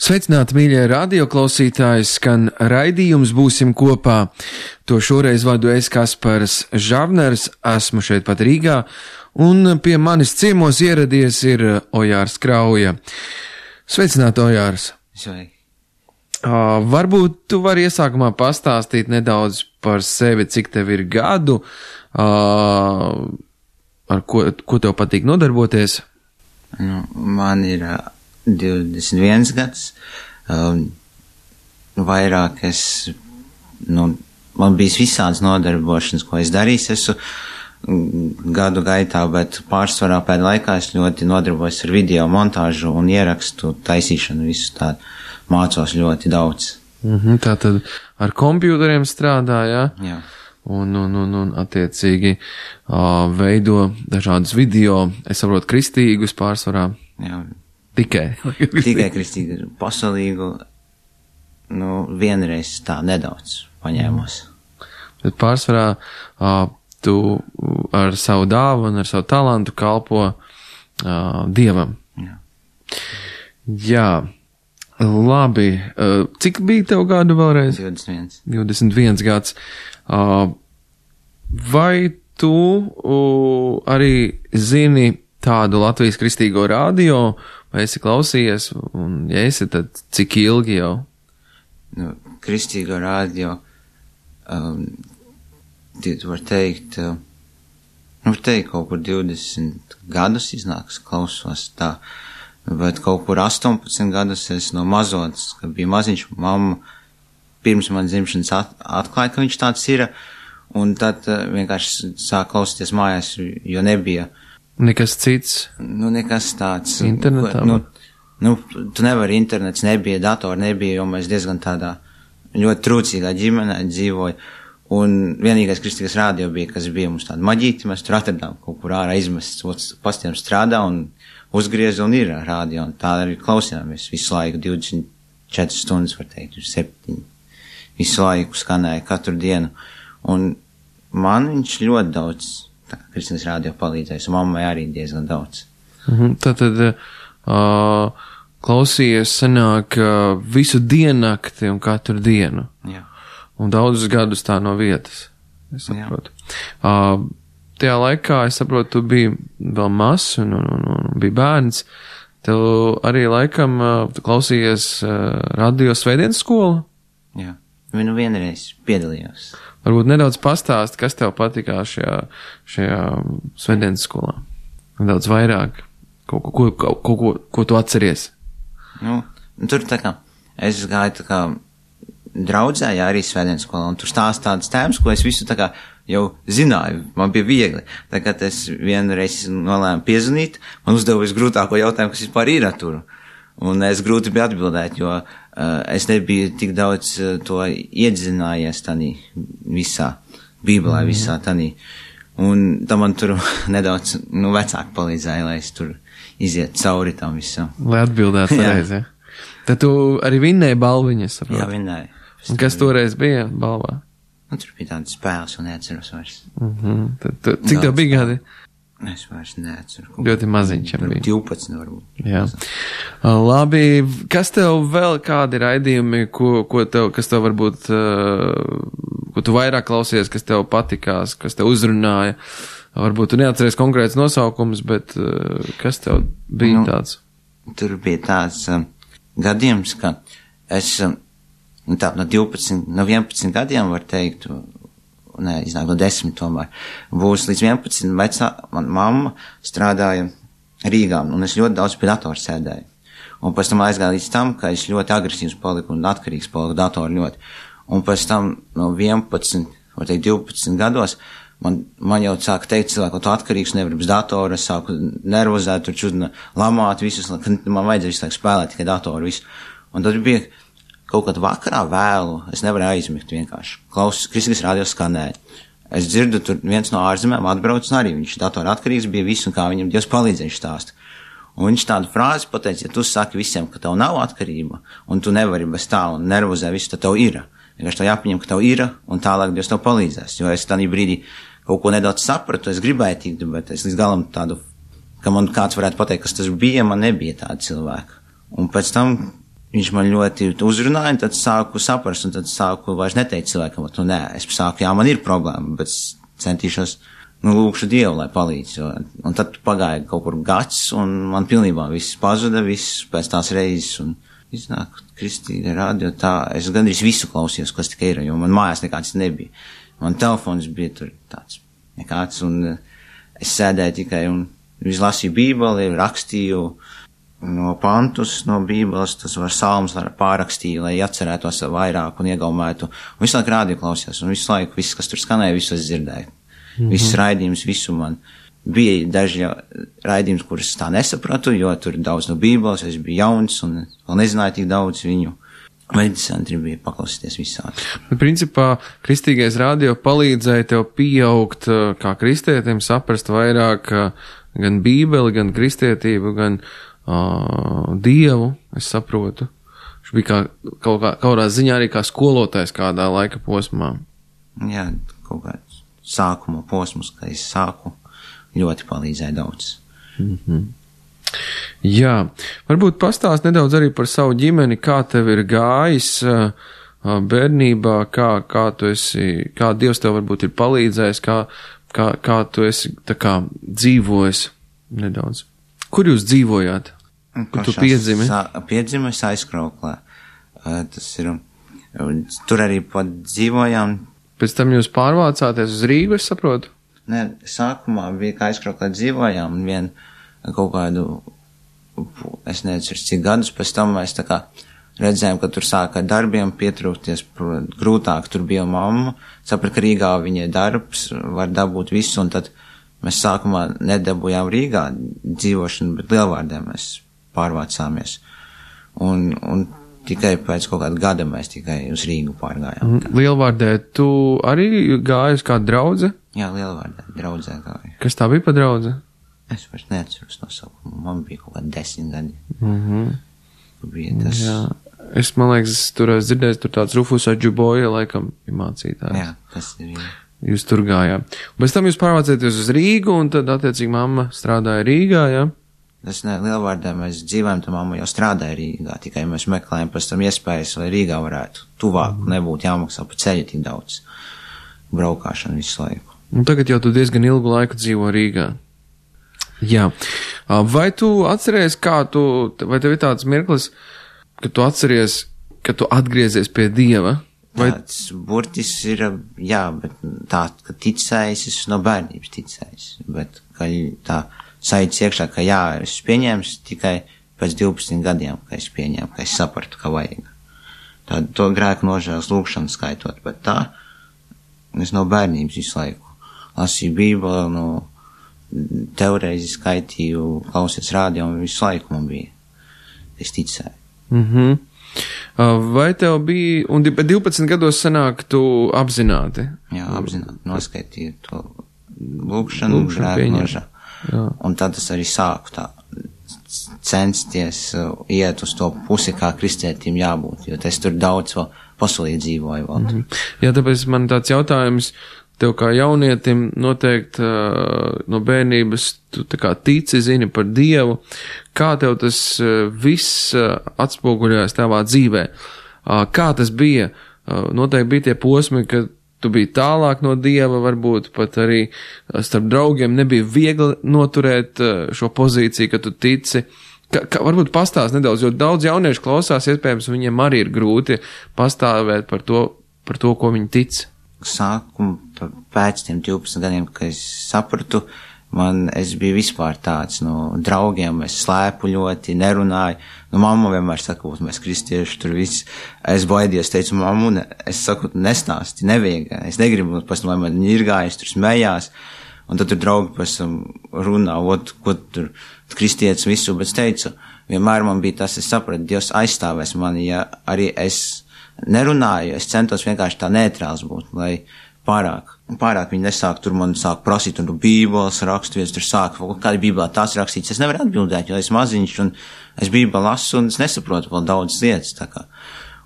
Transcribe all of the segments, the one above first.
Sveicināti, mīļie radioklausītāji, skan raidījums Būsim kopā. To šoreiz vadu es, Kaspars Žavners, esmu šeit pat Rīgā, un pie manis ciemos ieradies ir Ojārs Krauja. Sveicināti, Ojārs! Sveiki! Varbūt tu vari iesākumā pastāstīt nedaudz par sevi, cik tev ir gadu, ar ko tev patīk nodarboties? Man ir 21 gads, vairāk man bijis visādas nodarbošanas, ko es darīju gadu gaitā, bet pārsvarā pēdējā laikā es ļoti nodarbojos ar video montāžu un ierakstu taisīšanu, visu tādu, mācos ļoti daudz. Tātad ar kompjūteriem strādā, jā? Jā. Un attiecīgi veido dažādus video, es saprotu, kristīgus pārsvarā. Jā. Tikai kristīgu, pasaulīgu, vienreiz tā nedaudz paņēmos. Bet pārsvarā tu ar savu dāvu un ar savu talantu kalpo Dievam. Jā. Jā, labi. Cik bija tev gadu vēlreiz? 21. 21 gads. Vai tu arī zini tādu Latvijas kristīgo radio, vai esi klausījies, un ja esi, tad cik ilgi jau? Kristīgo radio, var teikt, kaut kur 20 gadus iznāks, klausos tā, bet kaut kur 18 gadus es no mazotas, kad bija maziņš, mamma pirms man dzimšanas atklāja, ka viņš tāds ir, un tad vienkārši sāk klausīties mājās, jo nebija nekas cits? Nekas tāds. Internetā? Tu nevari, internets nebija, datori nebija, jo mēs diezgan tādā ļoti trūcīgā ģimenē dzīvoja. Un vienīgais kristīgais radio bija, kas bija mums tāda maģīti, mēs tur atradām kaut kur ārā izmests, pastiem strādā un uzgriez un ir radio, un tā arī klausījāmies visu laiku, 24 stundas, var teikt, 7. Visu laiku skanēja katru dienu. Un man viņš ļoti daudz kristīgais radio palīdzējis, un mammai arī diezgan daudz. Tātad klausījies sanāk visu diennakti un katru dienu. Jā. Un daudzus gadus tā no vietas, es saprotu. Tajā laikā, es saprotu, tu biji vēl mazs un biji bērns. Tev arī laikam tu klausījies radio Svētdienas skolu? Jā, vienreiz piedalījos. Varbūt nedaudz pastāst, kas tev patikā šajā Svētdienas skolā. Nedaudz vairāk, ko tu atceries. Tur tā kā, es gāju tā kā draudzē, jā, arī Svētdienas skolā, un tur stāst tādas tēmas, ko es visu tā kā jau zināju, man bija viegli. Tagad es vienreiz nolēmu piezvanīt, man uzdeva visgrūtāko jautājumu, kas vispār ir tur. Un es grūti biju atbildēt, jo es nebiju tik daudz to iedzinājies tanī visā, Bībelē visā tanī. Un tam man tur nedaudz, vecāki palīdzēja, lai es tur iziet cauri tam visam. Lai atbildētu pareizi, ja? Tad tu arī vinnēji balviņas, saprot? Jā, vinnēju. Un kas toreiz bija balvā? Tur bija tādas spēles un neatceros vairs. Cik tev bija gadi? Es vairs neatceru. Ļoti maziņš bija. 12 varbūt. Jā. Labi, kas tev vēl kādi raidījumi, kas tev varbūt, ko tu vairāk klausies, kas tev patikās, kas tev uzrunāja? Varbūt tu neatceries konkrēts nosaukums, bet kas tev bija tāds? Tur bija tāds gadījums, ka es no 11 gadiem var teikt, iznāk no 10 tomēr, būs līdz 11 man mamma strādāja Rīgā, un es ļoti daudz pie datora sēdēju. Un pēc tam aizgāju līdz tam, ka es ļoti agresīvs paliku un atkarīgs paliku datoru ļoti. Un pēc tam no 11, var teikt 12 gados, man jau sāka teikt cilvēku, ka tu atkarīgs nevari bez datora, es sāku nervozēt, tur čudina lamāt visus, ka man vajadzēja visu laiku spēlēt tikai datoru visu. Un tad bija kaut kad vakarā vēlu, es nevarēju aizmigt vienkārši. Kristīgais radio skanēja. Es dzirdu, tur viens no ārzemēm atbrauc, un arī viņš datora atkarīgs bija visu, un kā viņam Dievs palīdzēja stāst. Un viņš tādu frāzi pateica, ja tu saki visiem, ka tev nav atkarība, un tu nevari bez tā, un nervozē visu, tad tev ir. Vienkārši tev jāpieņem, ka tev ir, un tālāk Dievs tev palīdzēs. Jo es tādā brīdī kaut ko nedaudz sapratu, es gribēju tikt, bet es līdz galam tādu, ka man kāds varētu pateikt, kas tas bija, man nebija tāda cilvēka. Un pēc tam viņš man ļoti uzrunāja, un tad sāku saprast, un tad sāku vairs neteikt cilvēkam, nē, es sāku, jā, man ir problēma, bet centīšos, lūkšu Dievu, lai palīdz, un tad pagāja kaut kur gads, un man pilnībā viss pazuda, viss pēc tās reizes, un iznāk Kristīga radio, tā, es gandrīz visu klausījos, kas tikai ir, jo man mājās nekāds nebija. Man telefons bija tur tāds nekāds, un es sēdēju tikai un izlasīju Bībeli, rakstīju no pantus no Bībeles, tas var salmus pārrakstīju, lai atcerētos vairāk un iegaumētu. Un visu laiku rādio klausījos, un visu laiku, viss, kas tur skanēja, visu es dzirdēju. Viss raidījums, visu man. Bija daži raidījums, kurus tā nesapratu, jo tur daudz no Bībeles, es biju jauns un vēl nezināju tik daudz viņu. Medicentri bija paklausīties visādi. Principā, kristīgais radio palīdzēja tev pieaugt kā kristietim, saprast vairāk gan Bībeli, gan kristietību, gan Dievu, es saprotu. Viņš bija kaut kādā ziņā arī kā skolotājs kādā laika posmā. Jā, kaut kāds sākuma posms, kad es sāku, ļoti palīdzēja daudz. Jā, varbūt pastāst nedaudz arī par savu ģimeni, kā tev ir gājis bērnībā, kā tu esi, kā Dievs tev varbūt ir palīdzējis, kā tu esi tā kā dzīvojis nedaudz. Kur jūs dzīvojāt? Kur tu piedzimi? Piedzimu es Aizkrauklē. Tas ir, tur arī pat dzīvojām. Pēc tam jūs pārvācāties uz Rīgu, es saprotu? Nē, sākumā bija, kā Aizkrauklē dzīvojām, un vien kaut kādu, es nezinu, cik gadus pēc tam mēs tā kā redzējām, ka tur sāka darbiem pietrūkties, grūtāk tur bija mamma, sapratu, ka Rīgā viņai darbs, var dabūt visu, un tad mēs sākumā nedabūjām Rīgā dzīvošanu, bet Lielvārdē mēs pārvācāmies. Un tikai pēc kaut kāda gada mēs tikai uz Rīgu pārgājām. Lielvārdē tu arī gāji uz kādu draudzi? Jā, Lielvārdē draudzē gāju. Kas tā bija pa draudzi? Es vairs neatceros nosaukumu. Man bija kaut kādi 10 gadi. Bija tas. Jā. Es, man liekas, tur esmu dzirdējis, tur tāds Rufus Adžuboja, laikam, ir mācītājs. Jā, tas ir. Jūs tur gājāt. Pēc tam jūs pārvācāties uz Rīgu, un tad, attiecīgi, mamma strādāja Rīgā, jā? Tas ne, Lielvārdē mēs dzīvojam, tā mamma jau strādāja Rīgā, tikai mēs meklējam pēc tam iespējas, lai Rīgā varētu tuvāk, nebūtu jāmaksā pa ceļu tik daudz braukāšanu visu laiku. Un tagad jau tu diezgan ilgu laiku dzīvo Rīgā. Jā. Vai tu atceries, vai tev ir tāds mirklis, ka tu atceries, ka tu atgriezies pie Dieva? Vai... Tāds burtis ir, jā, bet tā, ka ticējis, es no bērnības ticējis, bet ka tā sajūta iekšā, ka jā, es pieņēmu tikai pēc 12 gadiem, ka es pieņēmu, ka es sapratu, ka vajag. Tādu to grēku nožēlas lūkšanu skaitot, bet tā, es no bērnības visu laiku lasīju Bībeli, no teoreizi skaitīju, klausies rādio, un visu laiku man bija. Es ticēju. Vai tev bija, un 12 gados sanāk, tu apzināti? Jā, apzināti, noskaitīju to lūkšanu, grēku nožēlu. Un tad es arī sāku tā censties iet uz to pusi, kā kristietim jābūt, jo es tur daudz vēl pasaulī dzīvoju vēl. Jā, tāpēc man tāds jautājums, tev kā jaunietim noteikti no bērnības tu tā kā tici, zini par Dievu, kā tev tas viss atspoguļojas tavā dzīvē? Kā tas bija? Noteikti bija tie posmi, kad tu biji tālāk no Dieva, varbūt pat arī starp draugiem nebija viegli noturēt šo pozīciju, ka tu tici. Varbūt pastāst nedaudz, jo daudz jauniešu klausās, iespējams, viņiem arī ir grūti pastāvēt par to, ko viņi tic. Sākumu pēc tiem 12 gadiem, kad es sapratu, es biju vispār tāds, draugiem es slēpu ļoti, nerunāju. Mamma vienmēr saka, mēs kristieši tur viss. Es baidies, teicu, mammu, es saku, nestāsti, nevajag. Es negribu, pēc tam, lai man ņirgājas, tur smējās. Un tad tur draugi pēc tam runā, ko tur kristietis visu, bet es teicu, vienmēr man bija tas, es sapratu, Dievs aizstāvēs mani, ja arī es nerunāju, es centos vienkārši tā neitrāls būt, lai pārāk viņi nesāk, tur man sāk prasīt, un Bībeles raksturvietas, tur sāk, kāda Bībelē tās rakstīts, es nevaru atbildēt, jo es maziņš, un es Bībeli lasu, un es nesaprotu vēl daudzas lietas, tā kā.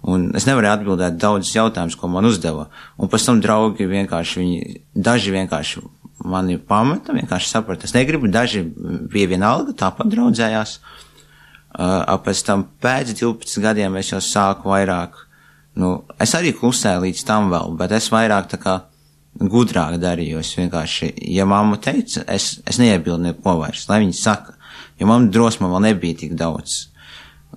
Un es nevaru atbildēt daudzas jautājumus, ko man uzdeva. Un pēc tam draugi vienkārši, daži vienkārši mani pameta, vienkārši saprata, es negribu, daži bija vienalga, tāpat draudzējās. Pēc tam pēc 12 gadiem es jau sāku vairāk, es arī klusēju līdz tam vēl, bet es vairāk tā kā gudrāk darīju. Es vienkārši, ja mamma teica, es neiebildu neko vairs, lai viņi saka, jo mamma drosma vēl nebija tik daudz.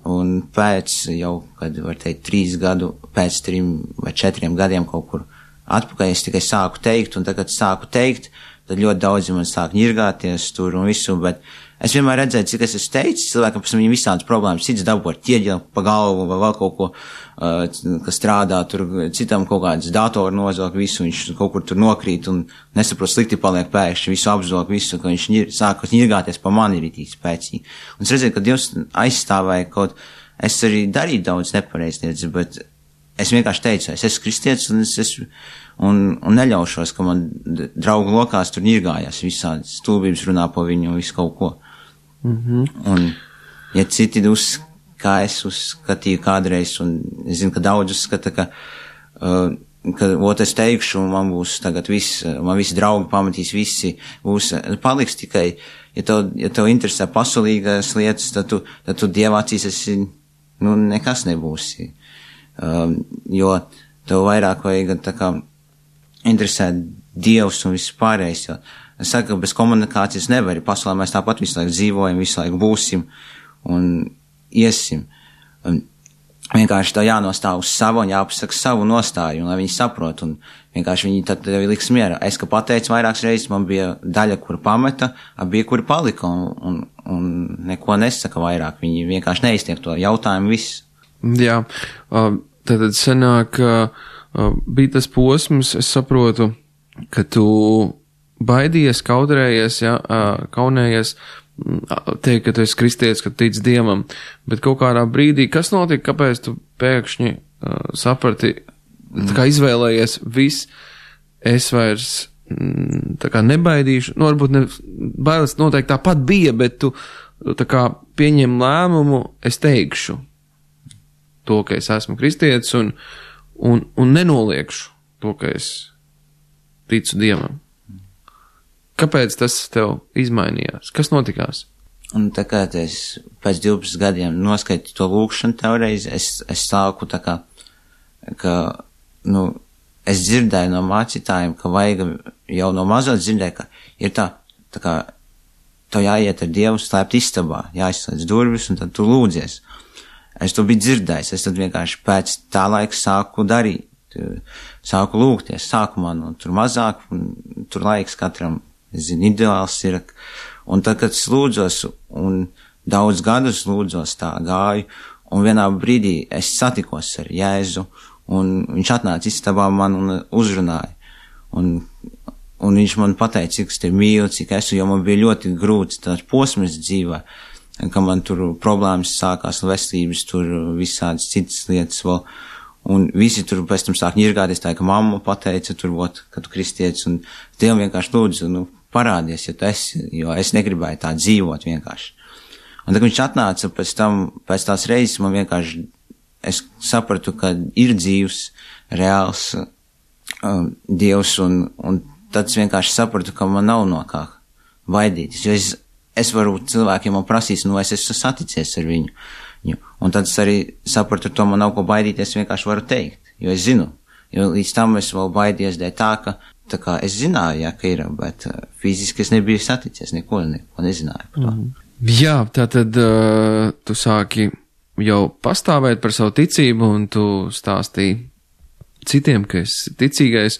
Un pēc jau, kad var teikt, 3 gadu, pēc 3 vai 4 gadiem kaut kur atpakaļ, es tikai sāku teikt, un tagad sāku teikt, tad ļoti daudzi man sāk ņirgāties tur un visu, bet es vienmēr redzēju, cik es esmu teicis, cilvēkam pēc viņam visādas problēmas, cits dabū ar ķieģeli pa galvu vai vēl kaut ko, kas strādā, tur citam kaut kāds datoru nozog visu, viņš kaut kur tur nokrīt un nesaprot slikti paliek pēkšņi, visu apzog visu, ka viņš sāk ņirgāties pa mani ritīgi spēcīgi. Un es redzēju, ka Dievs aizstāvēja kaut, es arī darīju daudz nepareiznieces, bet es vienkārši teicu, es esmu kristietis un neļaušos, ka man draugu lokās tur ņirgājās visādas stulbības runā pa viņu un visu kaut ko. Un, ja citi kā es uzskatīju kādreiz, un es zinu, ka daudz uzskata, ka es teikšu, un man būs tagad man visi draugi pamatīs, visi paliks tikai, ja tev interesē pasaulīgās lietas, tad tu Dieva acīs esi, nekas nebūsi. Jo tev vairāk vajag tā kā interesēt Dievs un viss pārējais, jo es saku, ka bez komunikācijas nevar, pasaulē mēs tāpat visu laiku dzīvojam, visu laiku būsim un iesim. Un vienkārši tev jānostāv uz savu un jāpasaka savu nostāju, un lai viņi saprot, un vienkārši viņi tad tev liks mierā. Es, ka pateicu vairākas reizes, man bija daļa, kur pameta, bija, kur palika, un neko nesaka vairāk. Viņi vienkārši neiztiek to jautājumu visu. Jā, tad senāk bija tas posms, es saprotu, ka tu baidījies, kaudrējies, kaunējies, teikt, ka tu esi kristietis, ka tic Dievam, bet kaut kādā brīdī, kas notika, kāpēc tu pēkšņi saprati, tā kā izvēlējies viss, es vairs tā kā nebaidīšu, varbūt bailes noteikti tāpat bija, bet tu tā kā pieņem lēmumu, es teikšu to, ka es esmu kristietis un nenoliekšu to, ka es ticu Dievam. Kāpēc tas tev izmainījās? Kas notikās? Un tā kā es pēc 12 gadiem noskaitu to lūkšanu teoreiz, es sāku tā kā, es dzirdēju no mācītājiem, ka vajag jau no mazot dzirdēju, ka ir tā kā, tev jāiet ar Dievu slēpt istabā, jāizslēdz durvis un tad tu lūdzies. Es to biju dzirdējis, es tad vienkārši pēc tā laika sāku darīt, sāku lūgties, sākumā, tur mazāk, un tur laiks katram, es zinu, ideāls ir, un tad, kad es lūdzos, un daudz gadus lūdzos tā gāju, un vienā brīdī es satikos ar Jēzu, un viņš atnāca istabā man un uzrunāja, un viņš man pateica, cik es te mīlu, cik esmu, jo man bija ļoti grūts tāds posms dzīvē, ka man tur problēmas sākās, veselības, tur visādas citas lietas vēl, un visi tur pēc tam sāk ņirgāties, tā, ka mamma pateica tur, ka tu kristietis, un Dievam vienkārši lūdzu, parādies, ja tu esi, jo es negribēju tā dzīvot vienkārši. Un tad viņš atnāca pēc tās reizes, man vienkārši, es sapratu, ka ir dzīvs, reāls Dievs, un tad es vienkārši sapratu, ka man nav no kā baidīties, jo es varu cilvēkiem man prasīs, es esmu saticies ar viņu. Un tad es arī sapratu, to man nav ko baidīties, vienkārši varu teikt, jo es zinu, jo līdz tam es vēl baidies dēļ tā kā es zināju, ka ir, bet fiziski es nebiju saticies, neko nezināju par to. Jā, tātad tu sāki jau pastāvēt par savu ticību, un tu stāstīji citiem, ka esi ticīgais,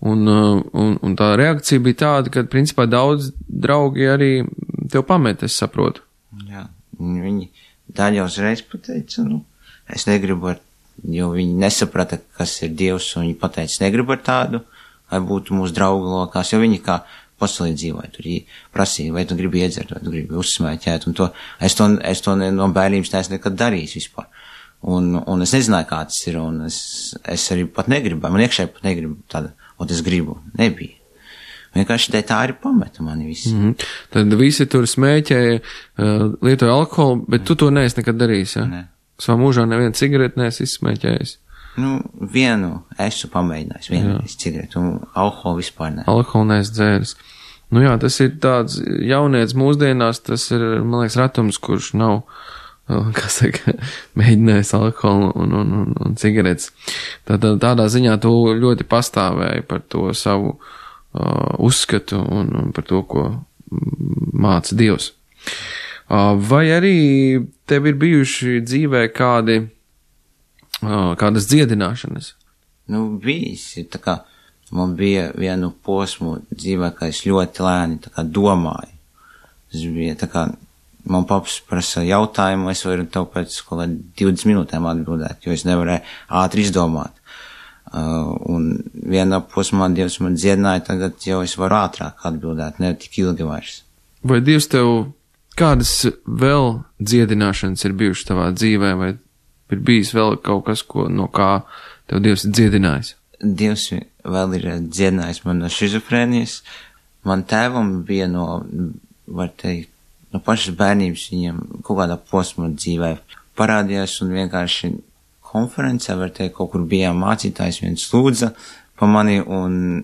un tā reakcija bija tāda, ka principā daudz draugi arī tev pamet, es saprotu. Jā, viņi daļa uzreiz pateica, es negribu jo viņi nesaprata, kas ir Dievs, un viņi pateica, negribu ar tādu, lai būtu mūsu draugu lokās, jo viņi kā pasaulī dzīvoja, tur prasīja, vai tu gribi iedzert, vai tu gribi uzsmēķēt, un es to no bērnības neesmu nekad darījis vispār. Un es nezināju, kā tas ir, un es arī pat negribēju, man iekšēji pat negribu tāda, un es gribu, nebija. Vienkārši tā arī pameta mani visi. Tad visi tur smēķēja, lietoja alkoholu, bet tu to neesi nekad darījis, ja? Nē. Savā mūžā nevienu cigareti neesi izsmēķējis. Vienu esmu pamēģinājis, vienu cigaretu, un alkoholu vispār ne. Alkoholu neesi dzēris. Jā, tas ir tāds jaunietis mūsdienās, tas ir, man liekas, ratums, kurš nav kā saka, mēģinājis alkoholu un cigaretes. Tādā ziņā tu ļoti pastāvēji par to savu uzskatu un par to, ko māca Dievs. Vai arī tev ir bijuši dzīvē kādas dziedināšanas? Bijis. Tā kā man bija vienu posmu dzīvē, ka es ļoti lēni tā kā domāju. Tas bija tā kā man paps prasa jautājumu, es varu tev pēc 20 minūtēm atbildēt, jo es nevarēju ātri izdomāt. Un vienā posmā Dievs man dziedināja, tagad jau es varu ātrāk atbildēt, ne tik ilgi vairs. Vai Dievs tev kādas vēl dziedināšanas ir bijušas tavā dzīvē, vai ir bijis vēl kaut kas, no kā tev Dievs ir dziedinājis? Dievs vēl ir dziedinājis man no šizofrēnijas. Man tēvam bija var teikt, no pašas bērnības viņam kaut kādā posmā dzīvē parādījās un vienkārši konferencē, var teikt, kaut kur bijām mācītājs, viens lūdza pa mani un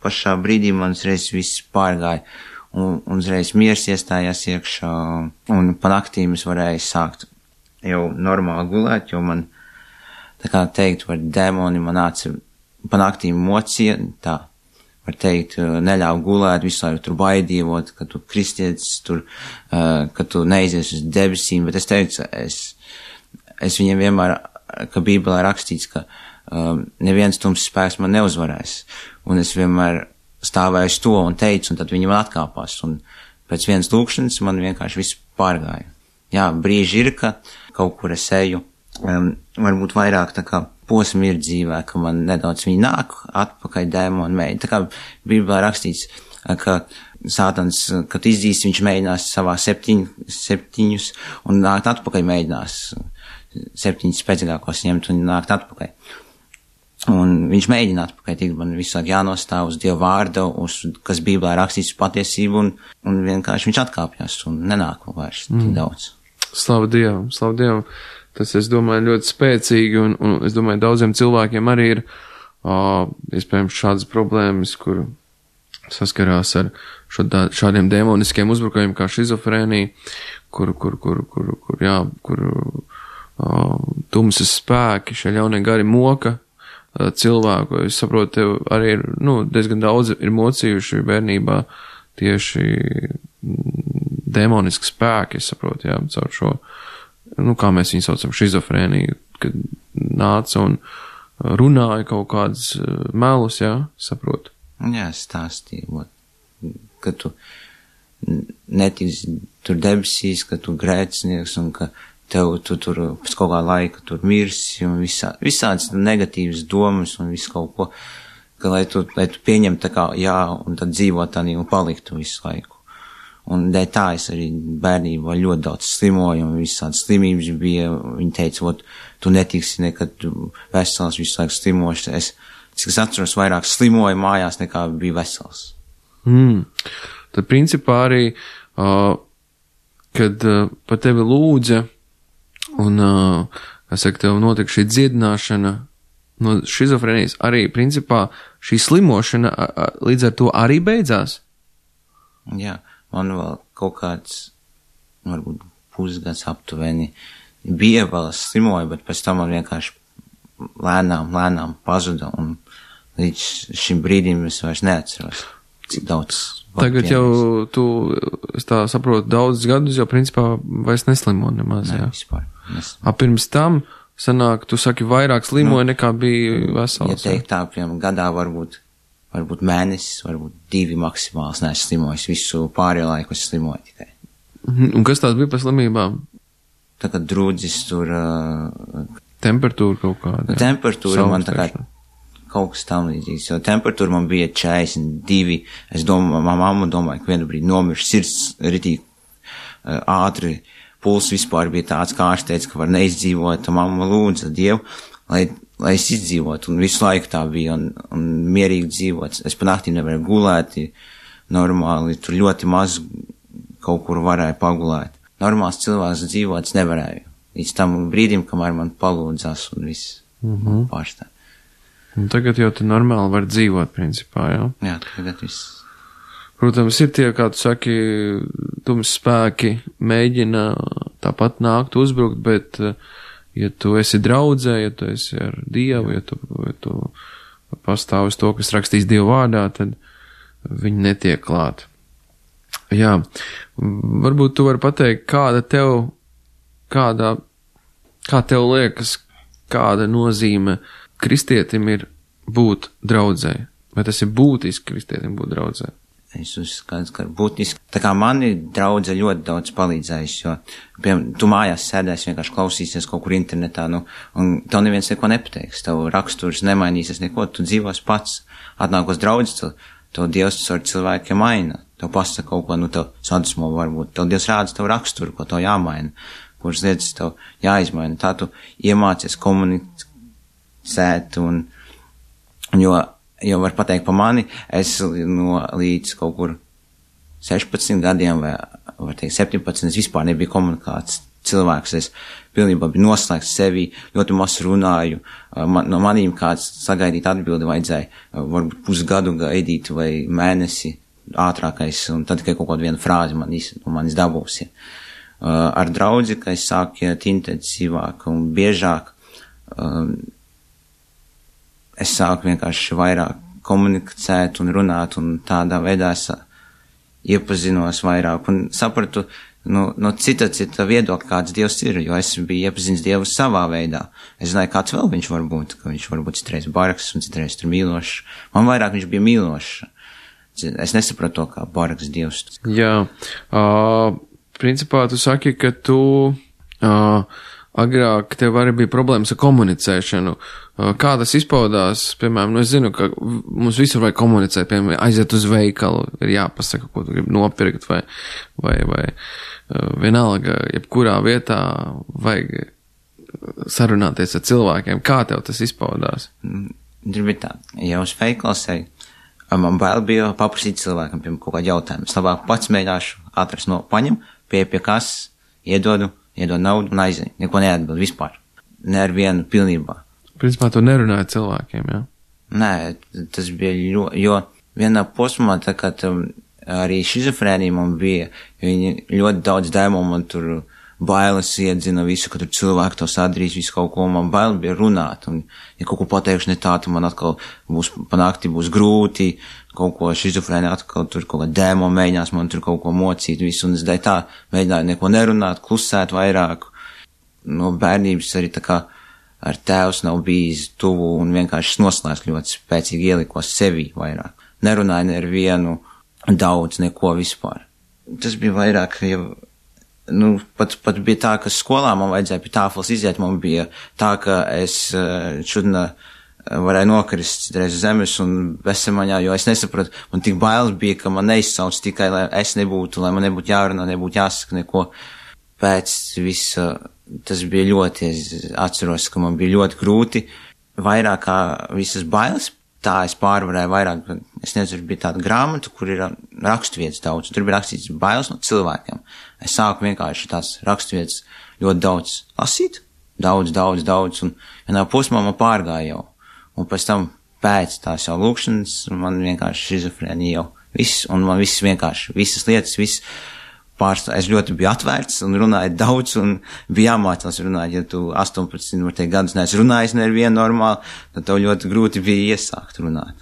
pašā brīdī man uzreiz viss pārgāja un uzreiz miers iestājās iekšā un pa naktīm es varēju sākt jau normāli gulēt, jo man, tā kā teikt, var dēmoni man nāca pa naktīm mocīja, tā. Var teikt, neļauj gulēt, visu laiku tur baidījot, ka tu kristietis tur, ka tu neizies uz debesīm, bet es teicu, es viņiem vienmēr, ka Bībelē rakstīts, ka neviens tums spēks man neuzvarēs, un es vienmēr stāvēju uz to un teicu, un tad viņi man atkāpās, un pēc vienas lūkšanas man vienkārši viss pārgāja. Jā, brīži ir, ka kaut kur es eju, varbūt vairāk tā kā posmi ir dzīvē, ka man nedaudz viņi nāk atpakaļ dēmoni mēģina. Tā kā Bībelē rakstīts, ka Sātans, kad izdīs, viņš mēģinās savā septiņus un nākt atpakaļ mēģinās 7 spēcīgākos ņemt un nākt atpakaļ. Un viņš mēģina atpakaļ, tik man visu laiku jānostāv uz Dieva vārda, kas Bībelē rakstīts patiesību un vienkārši viņš atkāpjas un nenāk vairs tik daudz. Slavu Dievam. Tas, es domāju, ļoti spēcīgi, un es domāju, daudziem cilvēkiem arī ir iespējams šādas problēmas, kur saskarās ar šādiem demoniskiem uzbrukumiem kā šizofrēnija, kur tumsas spēki, šie ļaunie gari moka cilvēku. Es saprotu, tev arī ir, diezgan daudz ir mocījuši bērnībā tieši demoniski spēki, es saprotu, jā, caur šo, kā mēs viņu saucam, šizofrēniju, kad nāca un runāja kaut kādas melus, jā, saprotu. Jā, stāstīja, ka tu netiksi tur debesīs, ka tu grēcinieks un ka tu tur pēc kaut kā laika tur mirsi un visādas negatīvas domas un visu kaut ko, ka lai tu pieņem tā kā jā un tad dzīvot tādā un paliktu visu laiku. Un dēļ tā es arī bērnībā ļoti daudz slimoju un visādas slimības bija. Viņi teica, tu netiksi nekad vesels, visu laiku slimoši. Cik es atceros, vairāk slimoju mājās nekā bija vesels. Tad principā arī, kad par tevi lūdza un, tev notika šī dziedināšana no šizofrenijas, arī principā šī slimošana līdz ar to arī beidzās? Jā. Man vēl kaut kāds, varbūt pusgads aptuveni bija vēl slimoja, bet pēc tam man vienkārši lēnām pazuda un līdz šim brīdim es vairs neatceros, cik daudz. Tagad jau tu, es tā saprotu, daudz gadus jau principā vairs neslimo nemaz, jā? Vispār. Pirms tam sanāk, tu saki, vairāk slimoja nekā bija vesels. Ja teikt tā, piemēram, gadā varbūt mēnesis, varbūt 2 maksimāls neesmu slimojis, visu pārējo laiku es slimoju tikai. Un kas tās bija par slimībām? Tā kā drūdzis tur... Temperatūra kaut kāda. Temperatūra man tā kā kaut kas tam līdzīgs, jo temperatūra man bija 42, es domāju, mamma domāja, ka vienu brīdi nomirš sirds ritīgi ātri, puls vispār bija tāds, kā ārsteica, ka var neizdzīvot, mamma lūdza Dievu, lai es izdzīvotu, un visu laiku tā bija, un mierīgi dzīvot. Es pa naktīm nevarēju gulēt, normāli, tur ļoti maz kaut kur varēju pagulēt. Normāls cilvēks dzīvot es nevarēju. Līdz tam brīdim, kamēr man palūdzās un viss pārstāv. Un tagad jau tu normāli var dzīvot, principā, jā? Jā, tagad viss. Protams, ir tie, kā tu saki, tums spēki mēģina tāpat nākt uzbrukt, bet, ja tu esi draudzē, ja tu esi ar Dievu, ja tu pastāv uz to, kas rakstīs Dievu vārdā, tad viņi netiek klāt. Jā, varbūt tu vari pateikt, kā tev liekas, kāda nozīme kristietim ir būt draudzē? Vai tas ir būtiski kristietim būt draudzē? Es uzskatu, ka būtiski. Tā kā mani draudze ļoti daudz palīdzējis, jo, piemēram, tu mājās sēdēs, vienkārši klausīsies kaut kur internetā, un tev neviens neko nepateiks, tev raksturs nemainīsies neko, tu dzīvos pats. Atnākos draudzes, tev Dievs ar cilvēkiem maina, tev pasaka kaut ko, tev sadusmo varbūt, tev Dievs rāda tev raksturu, ko tev jāmaina, kuras lietas tev jāizmaina. Tā tu iemācies komunicēt, jo var pateikt par mani, es līdz kaut kur 16 gadiem vai, var teikt, 17, es vispār nebiju komunikāts cilvēks, es pilnībā biju noslēgts sevi, ļoti maz runāju, no manīm kāds sagaidīt atbildi vajadzēja, varbūt pusgadu gaidīt vai mēnesi ātrākais, un tad tikai kaut kādu vienu frāzi manis dabūs. Ar draudzi, ka es sāku iet intensīvāk un biežāk, es sāku vienkārši vairāk komunicēt un runāt, un tādā veidā es iepazinos vairāk un sapratu no cita viedokļa, kāds Dievs ir, jo es biju iepazinis Dievu savā veidā. Es zināju, kāds vēl viņš var būt, ka viņš var būt citreiz bargs un citreiz tur mīlošs. Man vairāk viņš bija mīlošs. Es nesapratu to, kā bargs Dievs. Jā, principā tu saki, ka tu agrāk tev arī bija problēmas ar komunicēšanu. Kā tas izpaudās, piemēram, es zinu, ka mums visur vajag komunicēt, piemēram, aiziet uz veikalu, ir jāpasaka, ko tu gribi nopirkt, vai vienalga, jebkurā vietā vajag sarunāties ar cilvēkiem. Kā tev tas izpaudās? Gribi tā, ja uz veikalu man bail bija paprasīt cilvēkam, piemēram, kaut kādu jautājumu. Es labāk pats mēģināšu atrast paņem, pie kas, iedodu naudu un aizēju. Neko neatbild vispār. Ne ar vienu pilnībā. Principā tu nerunāji cilvēkiem, jā? Nē, tas bija jo vienā posmā, tā kā arī šizofrēnija man bija, viņi ļoti daudz dēmo man tur bailes iedzina visu, ka tur cilvēki to sadarīs, visu kaut ko, man baili bija runāt, un ja kaut ko pateikšu ne tā, tad man atkal panākti būs grūti, kaut ko šizofrēnija atkal tur kaut kā dēmo mēģinās man tur kaut ko mocīt visu, un es dēļ tā mēģināju neko nerunāt, klusēt vairāk. No bērnības arī tā kā ar tēvs nav bijis tuvu un vienkārši noslēdz ļoti spēcīgi ielikos sevi vairāk. Nerunāju ne ar vienu daudz, neko vispār. Tas bija vairāk, pat bija tā, ka skolā man vajadzēja pie tāfeles iziet, man bija tā, ka es šodien varēju nokrist citreiz uz zemes un bezsamaņā, jo es nesapratu, man tik bailes bija, ka man neizsauc tikai, lai es nebūtu, lai man nebūtu jārunā, nebūtu jāsaka neko. Pēc visa, tas bija ļoti, es atceros, ka man bija ļoti grūti, vairāk kā visas bailes, tā es pārvarēju vairāk, es nezinu, bija tāda grāmata, kur ir raksturvietas daudz, tur bija rakstīts bailes no cilvēkiem. Es sāku vienkārši tās raksturvietas ļoti daudz lasīt, daudz, un vienā posmā man pārgāja jau, un pēc tam pēc tās jau lūkšanas, man vienkārši šizofrēnija jau viss, un man viss vienkārši, visas lietas, es ļoti biju atvērts un runāju daudz un bija jāmācās runāt, ja tu 18 gadus neesi runājis ne ar vienu normāli, tad tev ļoti grūti bija iesākt runāt.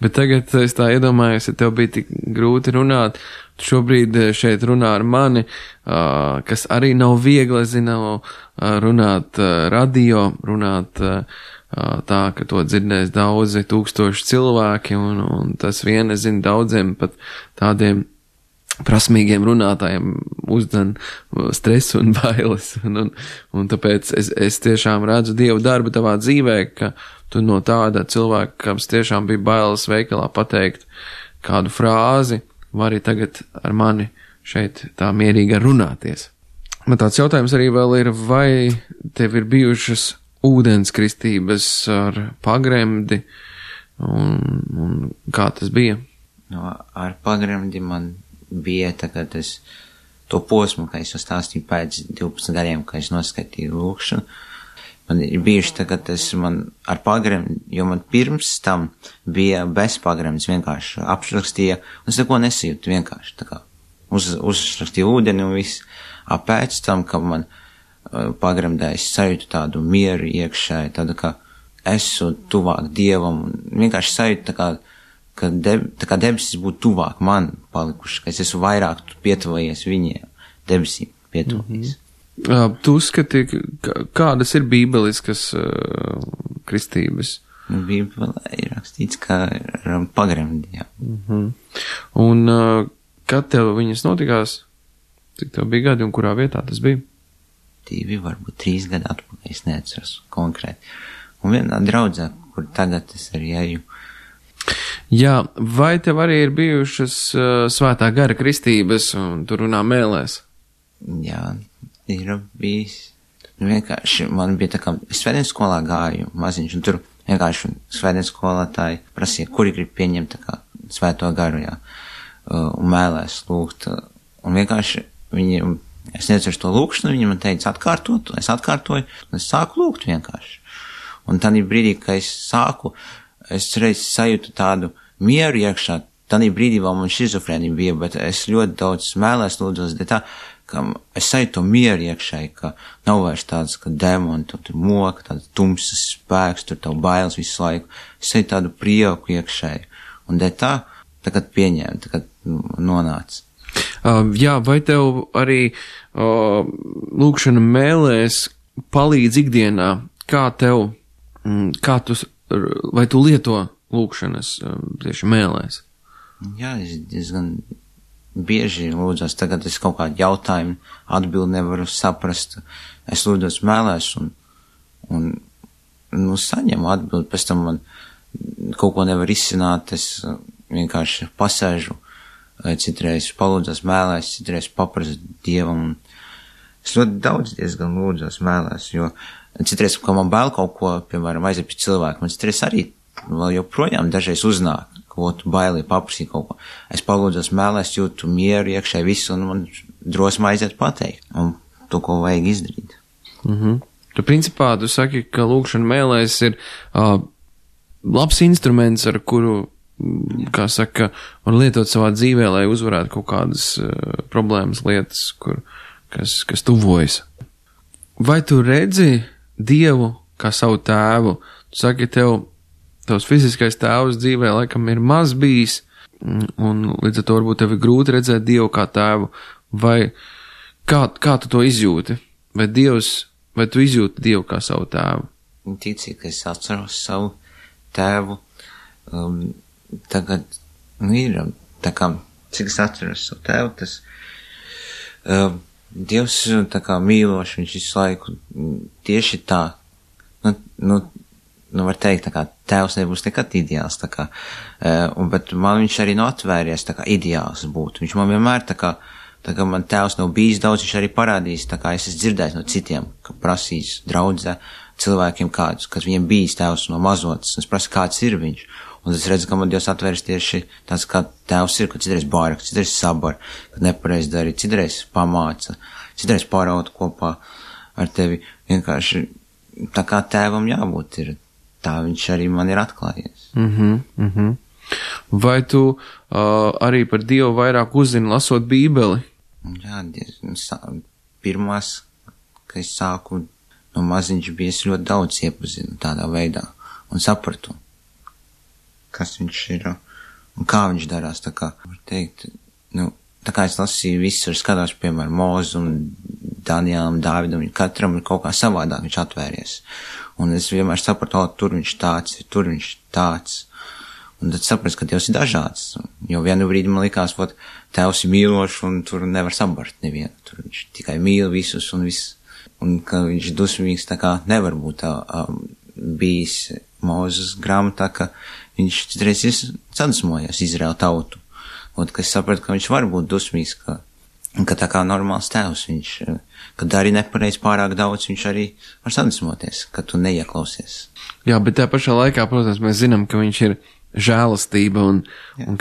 Bet tagad es tā iedomājos, ja tev bija tik grūti runāt, tu šobrīd šeit runā ar mani, kas arī nav viegli, runāt radio, runāt tā, ka to dzirdēs daudzi tūkstoši cilvēki, un tas vien, es zinu, daudziem pat tādiem prasmīgiem runātājiem uzdzen stresu un bailes, un tāpēc es tiešām redzu Dievu darbu tavā dzīvē, ka tu no tāda cilvēka, kas tiešām bija bailes veikalā pateikt kādu frāzi, vari tagad ar mani šeit tā mierīgi runāties. Man tāds jautājums arī vēl ir, vai tev ir bijušas ūdenskristības ar pagremdi, un kā tas bija? Ar pagremdi man bija tagad to posmu, ka es stāstīju pēc 12 gadiem, ka es noskaitīju lūkšanu. Man ir bijuši tagad man ar pagremdi, jo man pirms tam bija bez pagremdes, vienkārši apšrakstīja, un es neko nesijūtu vienkārši, tā kā uzrakstīju ūdeni un viss. Pēc tam, kad man pagremdēja, es sajūtu tādu mieru iekšēji, tādu, ka esmu tuvāk Dievam, un vienkārši sajūtu tā kā debesis būtu tuvāk man palikuši, ka es esmu vairāk pietuvojies viņiem, debesīm pietuvojies. Tu uzskati, kādas ir bībeliskas kristības? Bībelē ir rakstīts, ka ar pagremdījām. Un kad tev viņas notikās? Cik tev bija gadi un kurā vietā tas bija? 2, varbūt 3 gadi atpakaļ, es neatceros konkrēti. Un vienā draudzē, kur tagad es arī eju. Jā, vai tev arī ir bijušas svētā gara kristības un tu runā mēlēs? Jā, ir bijis. Vienkārši man bija tā kā, es svētdienas skolā gāju maziņš, un tur vienkārši svētdienas skolotāji prasīja, kuri grib pieņemt tā kā svēto garu, jā, un mēlēs lūgt. Un vienkārši viņiem, es neatceros to lūkšanu, viņi man teica atkārtot, es atkārtoju, un es sāku lūgt vienkārši. Un tādā brīdī, kad es sāku, es reiz sajūtu tādu mieru iekšā, tādā brīdī vēl man šizofrēnija bija, bet es ļoti daudz mēlēs lūdzos, bet tā, ka es sajūtu to mieru iekšēji, ka nav vairs tāds, ka demoni, tur moka, tāds tumsas spēks, tur tev bailes visu laiku. Es sajūtu tādu prieku iekšēji. Un tā, tagad pieņēmu, tagad nonāca. Jā, vai tev arī lūkšana mēlēs palīdz ikdienā? Vai tu lieto lūkšanas tieši mēlēs? Jā, es diezgan bieži lūdzos, tagad es kaut kādu jautājumu atbildi nevaru saprast. Es lūdzos mēlēs un saņemu atbildi, pēc tam man kaut ko nevar izsināt, es vienkārši pasēžu, citreiz palūdzos mēlēs, citreiz paprasu Dievam. Es ļoti daudz diezgan lūdzos mēlēs, jo citreiz, ka man bail kaut ko, piemēram, aiziet pie cilvēku, man citreiz arī vēl joprojām dažreiz uznāk, ko tu bailī paprasīt kaut ko. Es palūdzos mēlēs, jūtu mieru iekšēji visu, un man drosma aiziet pateikt, un to, ko vajag izdarīt. Tu principā, tu saki, ka lūkšana mēlēs ir labs instruments, ar kuru, kā saka, var lietot savā dzīvē, lai uzvarētu kaut kādas problēmas, lietas, kas tuvojas. Vai tu redzi Dievu kā savu tēvu? Tu saki, tavs fiziskais tēvs dzīvē laikam ir maz bijis, un līdz ar to varbūt tev ir grūti redzēt Dievu kā tēvu. Vai kā tu to izjūti? Vai tu izjūti Dievu kā savu tēvu? Ticīgi, ka es atceros savu tēvu. Tagad, ir, tā kā, cik es atceros savu tēvu, tas Dievs tā kā mīloši, viņš visu laiku tieši tā, var teikt, tā kā tēvs nebūs nekad ideāls, tā kā, bet man viņš arī nav atvēries, tā kā ideāls būtu. Viņš man vienmēr tā kā man tēvs nav bijis daudz, viņš arī parādījis, tā kā es esmu dzirdējis no citiem, ka prasīs draudzē cilvēkiem kādus, kas viņiem bijis tēvs no mazotas, un es prasu, kāds ir viņš. Un es redzu, ka man Dievs atvērs tieši tāds, kā tēvs ir, ka citreiz bāraka, citreiz sabar, kad nepareiz darīt, citreiz pamāca, citreiz pāraut kopā ar tevi. Vienkārši tā kā tēvam jābūt ir, tā viņš arī man ir atklājies. Vai tu arī par Dievu vairāk uzzini lasot Bībeli? Jā, pirmās, kad es sāku no maziņš bija, es ļoti daudz iepazinu tādā veidā un sapratu, kas viņš ir un kā viņš darās, tā kā, var teikt, tā kā es lasīju visur, skatās, piemēram, Mozu un Daniēlam, Dāvidam, katram ir kaut kā savādāk viņš atvēries. Un es vienmēr sapratu, tur viņš tāds, un tad sapratu, ka Dievs ir dažāds, jo vienu brīdi man likās, tēvs ir mīlošs un tur nevar sabart nevienu, tur viņš tikai mīl visus un viss, un ka viņš dusmīgs, tā kā nevar būt bijis Mūzes grāmatā, ka viņš citreiz ir sadusmojies Izraēlu tautu. Un, ka es sapratu, ka viņš var būt dusmīgs, ka tā kā normāls tēvs viņš, kad arī nepareiz pārāk daudz, viņš arī var sadusmoties, ka tu neieklausies. Jā, bet tā pašā laikā, protams, mēs zinām, ka viņš ir žēlastība un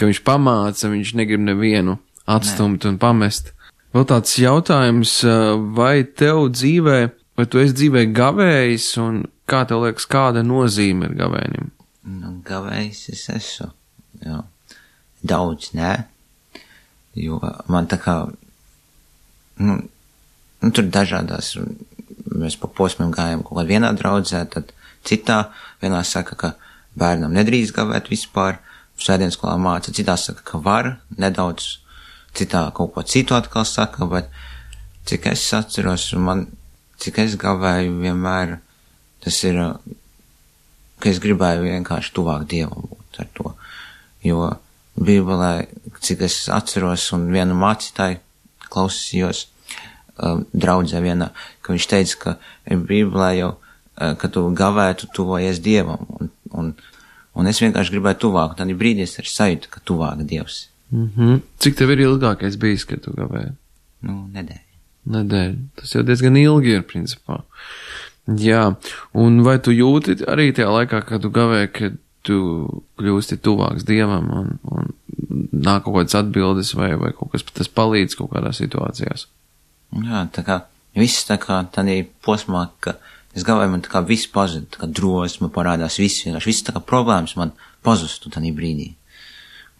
ka viņš pamāca, viņš negrib nevienu atstumt un pamest. Vēl tāds jautājums, vai tev dzīvē, vai tu esi dzīvē gavējis un kā tev liekas, kāda nozīme ir gavēnim? Gavējs es esmu, jā. Daudz, nē. Jo man tā kā, tur dažādās, mēs pa posmiem gājām kaut kādā vienā draudzē, tad citā, vienā saka, ka bērnam nedrīkst gavēt vispār, svētdienas skolā māca, citā saka, ka var, nedaudz, citā kaut ko citu atkal saka, bet cik es atceros, cik es gavēju vienmēr, tas ir, ka es gribēju vienkārši tuvāk Dievam būt ar to, jo Bībelē, cik es atceros, un vienu mācītāju klausījos, draudzē vienā, ka viņš teica, ka Bībelē jau, ka tu gavētu tuvojies Dievam, un es vienkārši gribēju tuvāk, un tad brīdī es arī sajūtu, ka tuvāk Dievs. Cik tev ir ilgākais bijis, kad tu gavēji? Nedēļa. Tas jau diezgan ilgi ir, principā. Jā, un vai tu jūti arī tajā laikā, kad tu gavēji, kad tu kļūsti tuvāks Dievam un nāk kaut kādas atbildes vai kaut kas tas palīdz kaut kādās situācijās? Jā, tā kā viss tā kā tādā posmā, ka es gavēju, man tā kā viss pazud, tā kā drosme parādās, viss tā kā problēmas man pazustu tādā brīdī.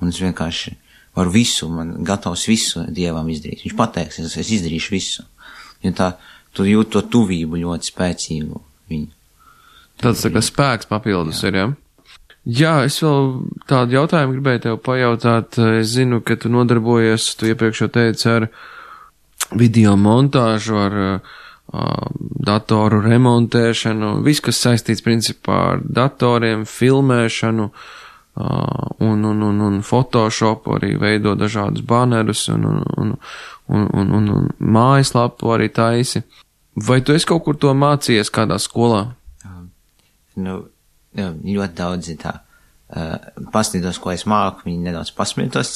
Un es vienkārši varu visu, man gatavs visu Dievam izdarīt. Viņš pateiks, es izdarīšu visu. Jo tā, tu jūt to tuvību ļoti spēcīgu viņu. Tāds tā kā spēks papildus ir, ja? Jā, es vēl tādu jautājumu gribēju tev pajautāt. Es zinu, ka tu nodarbojies, tu iepriekš jau teici, ar video montāžu, ar datoru remontēšanu, viss, kas saistīts principā ar datoriem, filmēšanu, un Photoshopu arī veido dažādus banerus un mājaslapu arī taisi. Vai tu esi kaut kur to mācījies kādā skolā? Ļoti daudzi tā pastītos, ko es māku, viņi nedaudz pasmietos,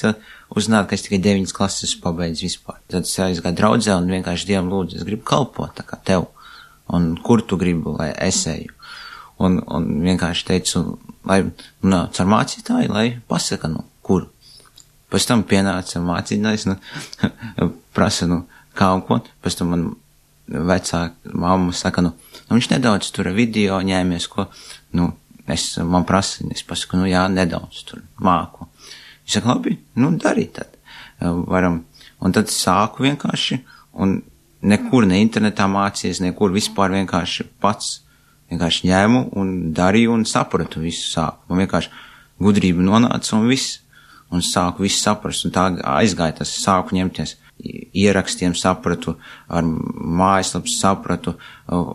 uzzināt, ka es tikai 9 klases pabeidzu vispār. Tad es aizgāju draudzē un vienkārši Dievam lūdzu, es gribu kalpot tā kā tev, un kur tu gribu, lai es eju. Un vienkārši teicu, lai, caur mācītāju, lai pasaka, kur. Pēc tam pienāca mācītājs, prasa, kā un ko. Pēc tam man vecāka mamma saka, viņš nedaudz tur video ņēmies, ko, man prasa, es pasaku, jā, nedaudz tur māku. Viņš saka, labi, dari tad. Varam. Un tad sāku vienkārši, un nekur ne internetā mācījies, nekur vispār vienkārši pats. Vienkārši ņēmu un darīju un sapratu visu sāku. Man vienkārši gudrība nonāca un viss. Un sāku visu saprast. Un tā aizgāja tas, sāku ņemties ierakstiem, sapratu, ar mājaslaps sapratu,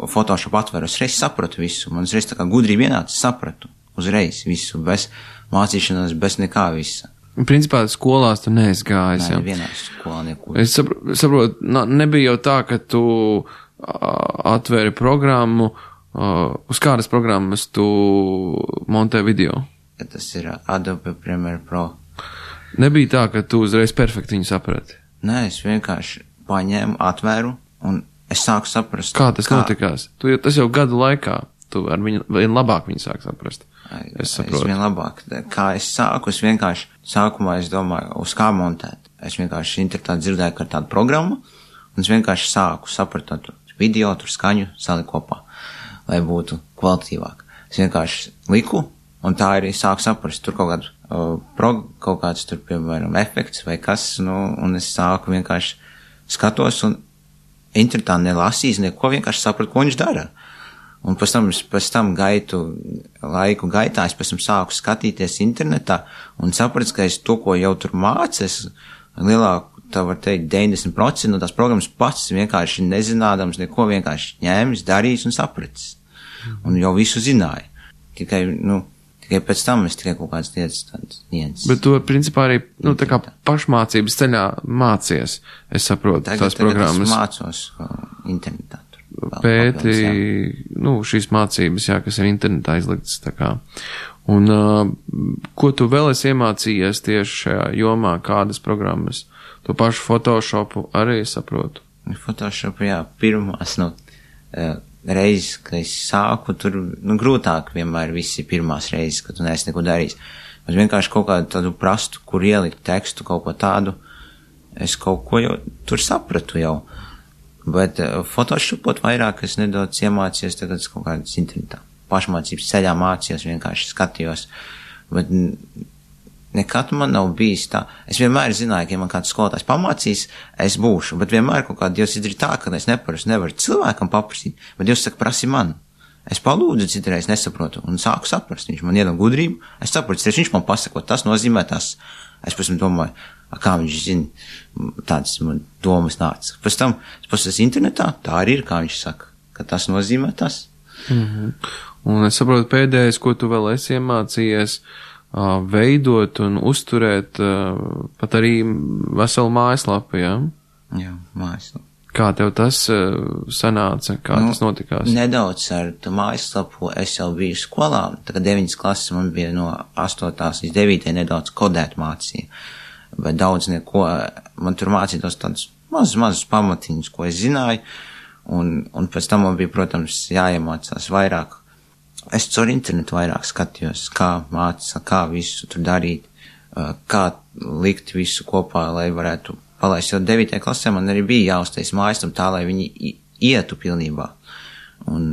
Photoshop atveru. Es reiz sapratu visu. Man reiz tā kā gudrība ienāca, sapratu uzreiz visu, bez mācīšanās, bez nekā visa. Principā skolās tu neesi gājis. Nē, vienā skolā nekur. Es saprotu, nebija jau tā, ka tu atvēri programmu, uz kādas programmas tu montē video? Tas ir Adobe Premiere Pro. Nebija tā, ka tu uzreiz perfekti viņu saprati? Nē, es vienkārši paņēmu, atvēru un es sāku saprast. Kā tas notikās? Tas jau gadu laikā. Tu ar viņu vien labāk viņu sāk saprast. Es saprotu. Es vien labāk. Kā es sāku, es vienkārši sākumā es domāju, uz kā montēt. Es vienkārši internetā dzirdēju, ka ir tāda programma un es vienkārši sāku saprast video, tur skaņu saliku kopā, lai būtu kvalitīvāk. Es vienkārši liku, un tā arī sāku saprast, tur kaut kāds tur, piemēram, efekts vai kas, un es sāku vienkārši skatos, un internetā nelasīs neko, vienkārši sapratu, ko viņš dara. Un pēc tam laiku gaitā, es pēc tam sāku skatīties internetā, un sapratu, ka es to, ko jau tur mācos, lielāku, tā var teikt, 90% no tās programmas pats vienkārši nezinādams neko, vienkārši ņēmis, darījis un sapratis. Un jau visu zināja. Tikai pēc tam es tikai kaut kādas lietas niedzis. Bet tu, principā, arī, tā kā pašmācības ceļā mācies, es saprotu, tās programmas. Tagad es mācos internetā. Pēti, šīs mācības, kas ir internetā izliktas, tā kā. Un, ko tu vēl esi iemācījies tieši šajā jomā, kādas programmas? To pašu Photoshopu arī saprotu. Photoshopu, pirmās, reizes, kad es sāku, tur, grūtāk vienmēr visi pirmās reizes, kad tu neesi neko darījis. Es vienkārši kaut kādu tādu prastu, kur ielikt tekstu, kaut ko tādu, es kaut ko jau tur sapratu jau. Bet Photoshopot vairāk es nedaudz iemācījos, tagad es kaut kādas internetā. Pašmācības ceļā mācījos, vienkārši skatījos. Bet nekad man nav bijis tā. Es vienmēr zināju, ka ja man kāds skolotājs pamācīs, es būšu, bet vienmēr kaut kā Dievs izdarīja tā, ka es nevaru cilvēkam paprasīt, bet Dievs saka, prasi man. Es palūdzu, citreiz nesaprotu, un sāku saprast. Viņš man iedod gudrību, es saprotu, viņš man pasaka, tas nozīmē tas. Es pēc tam domāju, kā viņš zina, tādas man domas nāca. Pēc tam es pasakos internetā, tā arī ir, kā viņš saka, ka tas nozīmē tas. Un es saprotu, pēdējais, ko tu vēl esi iemācījies, veidot un uzturēt pat arī veselu mājaslapu, jā? Jā, mājaslapu. Kā tev tas sanāca? Kā tas notikās? Nedaudz ar mājaslapu es jau biju skolā. Tagad 9. klases man bija no 8. līdz 9. nedaudz kodēt mācīja. Bet daudz neko. Man tur mācītos tādus mazus pamatiņus, ko es zināju. Un pēc tam man bija, protams, jāiemācās vairāk. Es caur internetu vairāk skatījos, kā mācīt, kā visu tur darīt, kā likt visu kopā, lai varētu palaist. Jo 9. klasē man arī bija jāuztais mājaslapu tā, lai viņi ietu pilnībā. Un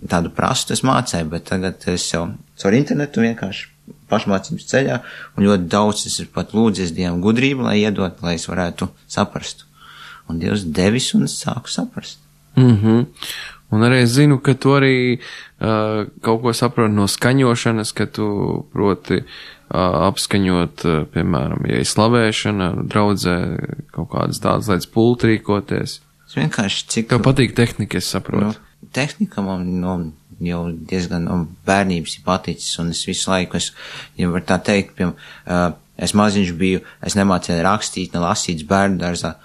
tādu prastu es mācēju, bet tagad es jau caur internetu vienkārši pašmācības ceļā, un ļoti daudz es ir pat lūdzies Dievam gudrību, lai iedot, lai es varētu saprast. Un Dievs devis, un es sāku saprast. Un arī es zinu, ka tu arī kaut ko saproti no skaņošanas, ka tu proti apskaņot, piemēram, ja ir slavēšana, draudzē kaut kādas tādas lietas pulti rīkoties. Es vienkārši cik... Tev patīk tehnika, es saprotu. Tehnika man jau diezgan bērnības ir paticis, un es visu laiku, ja var tā teikt, es maziņš biju, es nemācēju rakstīt, ne lasīt bērnu dārzā,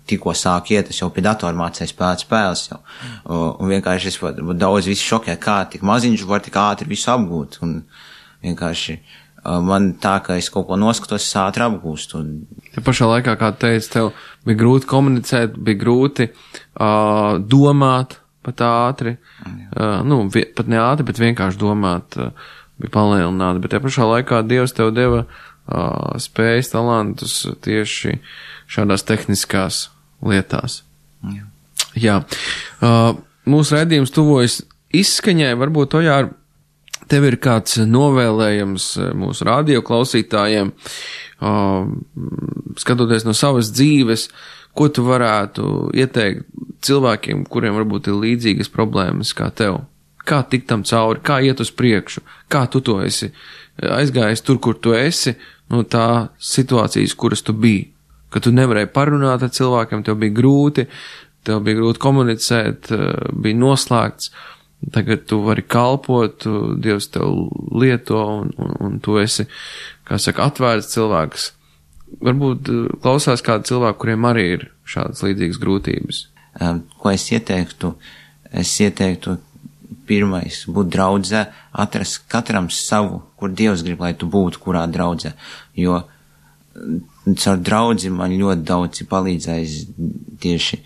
tikko sāku iet, es jau pie datora mācēju spēlēt spēles jau. Un vienkārši es daudz visu šokē, kā tik maziņš var tik ātri visu apgūt. Un vienkārši man tā, ka es kaut ko noskatos, es ātri apgūstu. Te pašā laikā, kā teici, tev bija grūti komunicēt, bija grūti domāt pat ātri. Pat ne ātri, bet vienkārši domāt bija palielināti. Bet te pašā laikā Dievs tev deva spējas, talantus tieši šādās tehniskās lietās. Jā. Mūsu raidījums tuvojas izskaņai. Varbūt, Ojār, tev ir kāds novēlējums mūsu radio klausītājiem, skatoties no savas dzīves, ko tu varētu ieteikt cilvēkiem, kuriem varbūt ir līdzīgas problēmas kā tev? Kā tikt tam cauri, kā iet uz priekšu, kā tu to esi aizgājis tur, kur tu esi, no tā situācijas, kuras tu biji? Ka tu nevarēji parunāt ar cilvēkiem, tev bija grūti komunicēt, bija noslēgts. Tagad tu vari kalpot, Dievs tev lieto un tu esi, kā saka, atvērts cilvēks. Varbūt klausās kādi cilvēki, kuriem arī ir šādas līdzīgas grūtības. Ko es ieteiktu? Es ieteiktu pirmais būt draudzē, atrast katram savu, kur Dievs grib, lai tu būtu, kurā draudzē. Jo caur draudzi man ļoti daudz ir palīdzējis tieši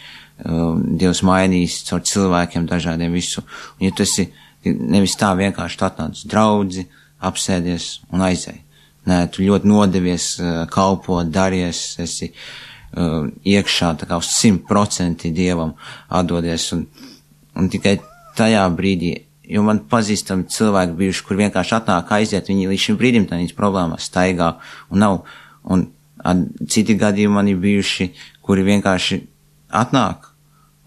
Dievs mainījis caur cilvēkiem dažādiem visu. Un ja tu esi nevis tā vienkārši tu atnāc uz draudzi, apsēdies un aizēj. Nē, tu ļoti nodevies, kalpot, daries, esi iekšā tā kā uz 100% Dievam atdodies. Un tikai tajā brīdī, jo man pazīstami cilvēki bijuši, kur vienkārši atnāk aiziet, viņi līdz šim brīdim tā viņas problēmās staigā un nav. Un citi gadījumi man ir bijuši, kuri vienkārši atnāk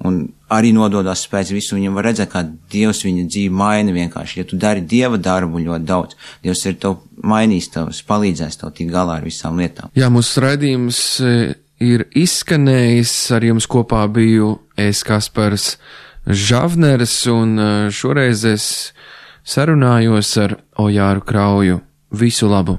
un arī nododās pēc visu, viņam var redzēt, kā Dievs viņa dzīvi maina vienkārši. Ja tu dari Dieva darbu ļoti daudz, Dievs ir tev mainījis, tevs palīdzēs tev tik galā ar visām lietām. Jā, mūsu raidījums ir izskanējis, ar jums kopā biju es, Kaspars Žavners, un šoreiz es sarunājos ar Ojāru Krauju. Visu labu!